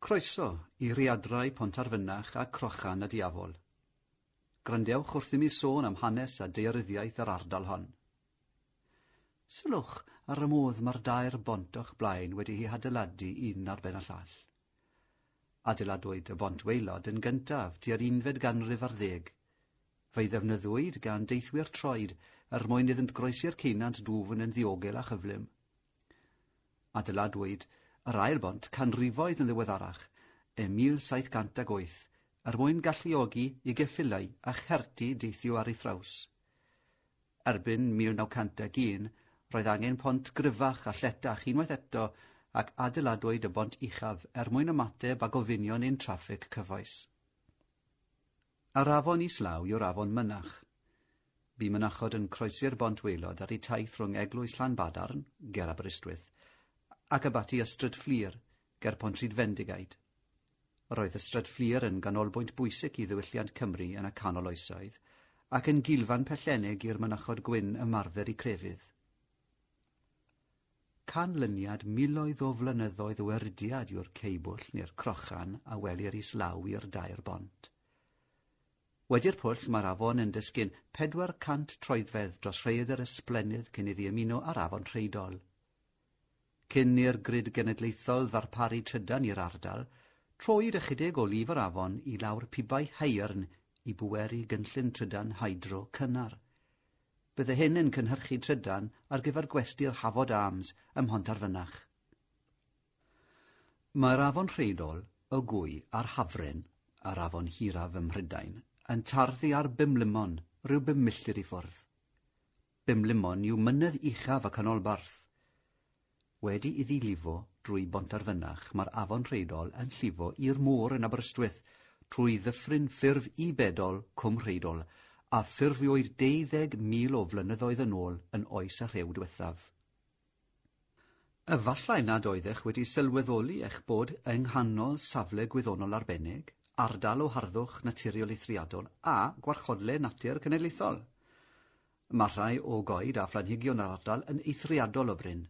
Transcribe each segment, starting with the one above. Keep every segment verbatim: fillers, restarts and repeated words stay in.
Croeso i Riadrau Pontarfynach a Crochan y Diafol. Gwrandewch wrth i mi sôn am hanes a daearyddiaeth yr ardal hon. Sylwch ar y modd mae'r dair bont o'ch blaen wedi'u hadeiladu un ar ben y llall. Adeiladwyd y bont waelod yn gyntaf tua'r unfed ganrif ar ddeg. Fe'i ddefnyddiwyd gan deithwyr troed er mwyn iddynt groesi'r ceunant dwfn yn ddiogel a chyflym. Adeiladwyd yr ail bont canrifoedd yn ddiweddarach, ym mil saith cant ag wyth, er mwyn galluogi i geffylau a cherti deithio ar ei thraws. Erbyn mil naw cant ag un, roedd angen pont gryfach a lletach unwaith eto ac adeiladwyd y bont uchaf er mwyn ymateb a gofynion ein traffig cyfoes. Yr afon islaw yw'r afon Mynach. Bu mynachod yn croesi'r bont waelod ar eu taith rhwng Eglwys Llanbadarn, ger Aberystwyth, ac abaty Ystrad Fflur, ger Pontrhydfendigaid. Roedd Ystrad Fflur yn ganolbwynt bwysig i ddiwylliant Cymru yn y canol oesoedd, ac yn gilfan pellennig i'r mynachod gwyn ymarfer eu crefydd. Canlyniad miloedd o flynyddoedd o erydiad yw'r ceubwll neu'r crochan a welir islaw i'r dair bont. Wedi'r pwll mae'r afon yn disgyn pedwar cant troedfedd dros rhaeadr ysblennydd cyn iddi ymuno â'r afon Rheidol. Cyn i'r grid genedlaethol ddarparu trydan i'r ardal, troed ychydig o lif yr afon i lawr pibau haearn i bweru gynllun trydan hydro cynnar. Bydde hyn yn cynhyrchu trydan ar gyfer gwesty'r Hafod Arms ym Mhontarfynach. Mae'r afon Rheidol, y Gwy a'r Hafren, a'r afon hiraf ym Mhrydain, yn tarddu ar Bumlumon, rhyw bum milltir i ffwrdd. Bumlumon yw mynydd uchaf y canolbarth. Wedi iddi lifo drwy Bontarfynach, mae'r afon Rheidol yn llifo i'r môr yn Aberystwyth trwy ddyffryn ffurf i bedol Cwm Rheidol, a ffurfiwyd deuddeg mil o flynyddoedd yn ôl yn oes y rhew diwethaf. Efallai nad oeddech wedi sylweddoli eich bod yng nghanol safle gwyddonol arbennig, ardal o harddwch naturiol eithriadol a gwarchodle natur cenedlaethol. Mae rhai o goed a phlanhigion yr ardal yn eithriadol o brin.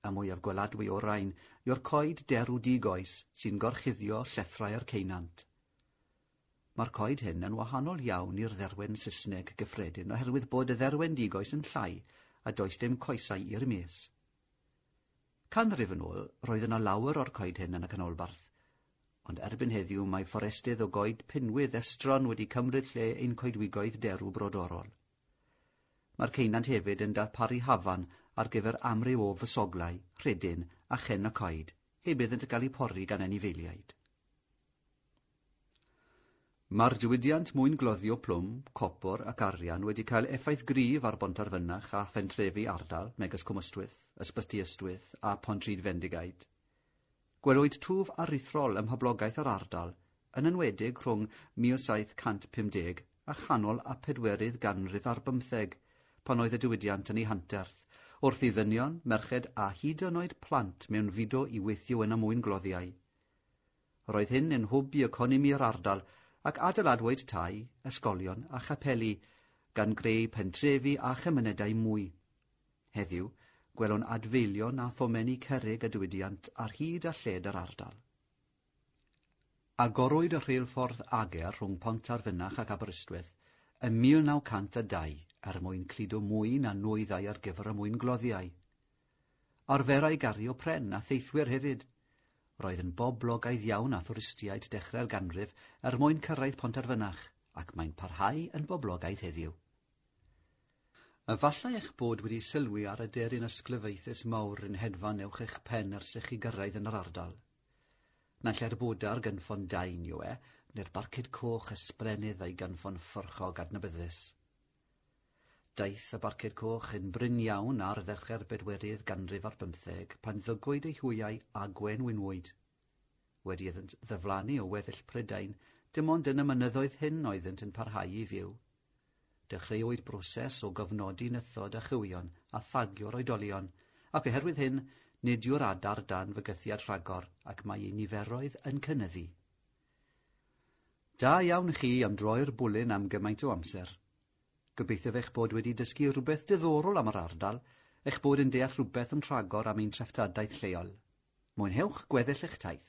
Y mwyaf gweladwy o'r rhain yw'r coed derw digoes sy'n gorchuddio llethrau'r ceunant. Mae'r coed hyn yn wahanol iawn i'r dderwen Saesneg gyffredin oherwydd bod y dderwen digoes yn llai a does dim coesau i'r mes. Canrif yn ôl, roedd yna lawer o'r coed hyn yn y canolbarth, ond erbyn heddiw mae fforestydd o goed pinwydd estron wedi cymryd lle ein coedwigoedd derw brodorol. Mae'r ceunant hefyd yn darparu hafan ar gyfer amryw o fysoglau, rhedyn a chen y coed, heb iddynt gael eu pori gan anifeiliaid. Mae'r diwydiant mwyngloddio plwm, copor ac arian wedi cael effaith gryf ar Bontarfynach a phentrefi ardal, megis Cwm Ystwyth, Ysbyty Ystwyth a Pontrhydfendigaid. Gwelwyd twf aruthrol ym mhoblogaeth yr ardal, yn enwedig rhwng mil saith cant pum deg a chanol a pedwerydd ganrif ar bymtheg, pan oedd y diwydiant yn ei hanterth, wrth i ddynion, merched a hyd yn oed plant mewnfudo i weithio yn y mwyngloddiau. Roedd hyn yn hwb i economi'r ardal ac adeiladwyd tai, ysgolion a chapeli, gan greu pentrefi a chymunedau mwy. Heddiw, gwelwn adfeilion a thomenni cerrig y diwydiant ar hyd a lled yr ardal. Agorwyd y rheilffordd Ager rhwng Pontarfynach ac Aberystwyth ym mil naw cant a dau er mwyn cludo mwy na nwyddau ar gyfer y mwyngloddiau. Arferai gario pren a theithwyr hefyd. Roedd yn boblogaidd iawn â thwristiaid dechrau'r ganrif er mwyn cyrraedd Pontarfynach, ac mae'n parhau yn boblogaidd heddiw. Efallai eich bod wedi sylwi ar y deryn ysglyfaethus mawr yn hedfan uwch eich pen ers i chi gyrraedd yn yr ardal. Naill ai'r bwdar gynffon dain yw e, neu'r barcud coch ysblennydd a'i gynffon fforchog adnabyddus. Daeth y barcud coch yn brin iawn ar ddechrau'r bedwerydd ganrif ar bymtheg pan ddygwyd eu hwyau a gwenwynwyd. Wedi iddynt ddiflannu o weddill Prydain, dim ond yn y mynyddoedd hyn oeddynt yn parhau i fyw. Dechreuwyd broses o gofnodi nythod a chywion a thagio'r oedolion, ac oherwydd hyn, nid yw'r adar dan fygythiad rhagor ac mae eu niferoedd yn cynyddu. Da iawn chi am droi'r bwlyn am gymaint o amser. Gobeithio eich bod wedi dysgu rhywbeth diddorol am yr ardal, eich bod yn deall rhywbeth yn rhagor am ein treftadaeth lleol. Mwynhewch gweddill eich taith.